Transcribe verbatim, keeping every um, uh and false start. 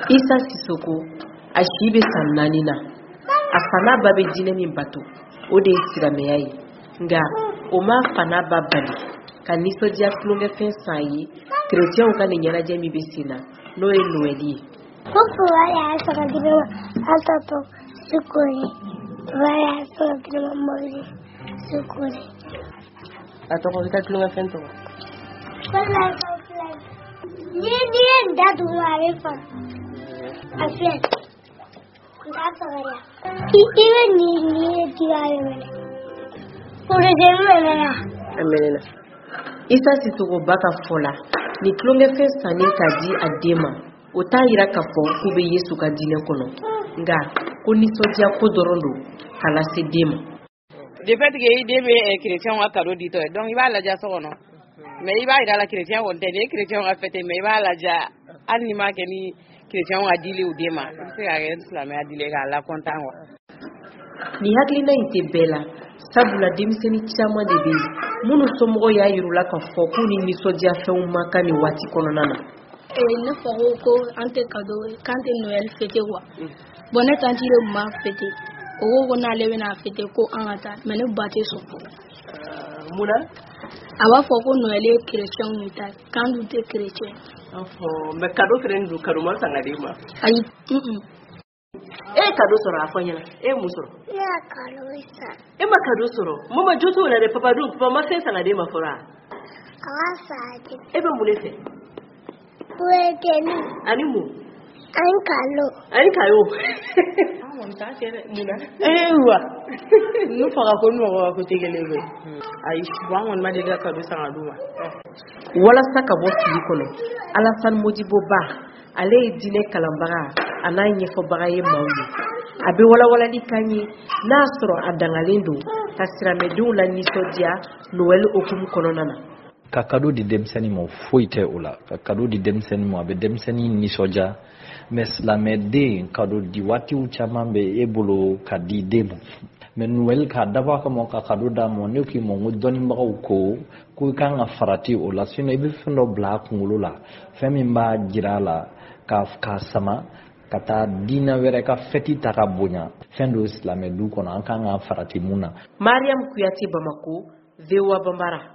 Isa Sisoko, a si bɛ san naani na. A fa n'a ba bɛ diinɛ min bato, o de ye silamɛya ye. Nka o m'a fa n'a ba bali ka nisɔndiya tulonkɛfɛn san ye kerecɛnw ka nin ɲɛnajɛ min bɛ sen na, n'o ye Noɛli ye. Ko papa y'a san ka di ne ma, an tɔ sukori. Papa y'a san ka di ne ma mobili sukori. A tɔgɔ, i ka tulonkɛfɛn tɔgɔ? Ko la filɛ. Ni n'i ye nin da duguma, a bɛ faga. A filɛ. N t'a faga. I i bɛ nin nin ye di a bɛ minɛ. Porozɛni mɛnɛ. A mɛnɛna. Isa Sisoko ba ka fɔ la, nin tulonkɛfɛn sannen k'a di a den ma, o t'a yira k'a fɔ k'u bɛ Yesu ka diinɛ kɔnɔ, nka ko nisɔndiya ko dɔrɔn don k'a lase den ma. De fait que i den bɛ chrétien ka cadeau ditɔ ye, donc i b'a ladiya so kɔnɔ, mais i b'a yira a la chrétien kɔni tɛ nin ye chrétien ka fête, mais i b'a ladiya hali n'i m'a kɛ ni chrétien ka dili u den ma, i bɛ se k'a kɛ silamɛya dili k'a la content quoi. Nin hakilina in tɛ bɛɛ la, sabula denmisɛnnin caman de bɛ yen minnu somɔgɔw y'a yir'u la k'a fɔ k'u ni nisɔndiyafɛnw man kan nin waati kɔnɔna na. Ne fa ko ko an tɛ cadeau, k'an tɛ Noël fêter quoi. Bon, ne tantie de tun b'a fêter. O ko ko n'ale bɛna fêter, ko an ka taa, mais ne ba tɛ sɔn. Mun na? A b'a fɔ ko Noël ye chrétien de ta ye, k'an dun tɛ chrétien. Mais cadeau fɛnɛ dun, cadeau ma san ka d'e ma? Ayi, un. E ye cadeau sɔrɔ? A fɔ n ɲɛna, e ye mun sɔrɔ? Ne ka cadeau san. E ma cadeau sɔrɔ? Mama jo t'o la dɛ. Papa dun, papa ma fɛn san ka d'e ma fɔlɔ wa? A b'a san ka di. E bɛ mun de fɛ? Wɛrɛkɛni. Ani mun? Ani cadeau. Ani cadeau. An kɔni t'a kɛ dɛ. Mun na? Ewa, ne fa ka ko ni mɔgɔ ka ko tɛ kelen ye. Ayi, bon, an kɔni ma deli ka cadeau san ka d'u ma. Walasa ka bɔ fili kɔnɔ, Alassane Modibo Ba, ale ye diinɛ kalanbaga a n'a ɲɛfɔbaga ye maaw ye. A bɛ walawalali k'an ye n'a sɔrɔ a dangalen don ka silamɛdenw la nisɔndiya Noël hukumu kɔnɔna na. Ka cadeau di denmisɛnnin ma, foyi tɛ o la. Ka cadeau di denmisɛnnin ma, a bɛ denmisɛnnin nisɔndiya. Mais silamɛden, cadeau di waatiw caman bɛ e bolo ka di den ma. Mais Noël, k'a dabɔ a kama ka cadeau d'a ma, ne k'i ma n ko dɔnnibagaw ko ko i kan ka farati o la, sinon i bɛ fɛn dɔ bila a kunkolo la, fɛn min b'a jira a la ka k'a sama ka taa diinɛ wɛrɛ ka fɛti ta ka bonya. Fɛn dɔ silamɛ du kɔnɔ, an kan ka farati mun na. Mariam Kuyate, Bamako, V O A Bambara.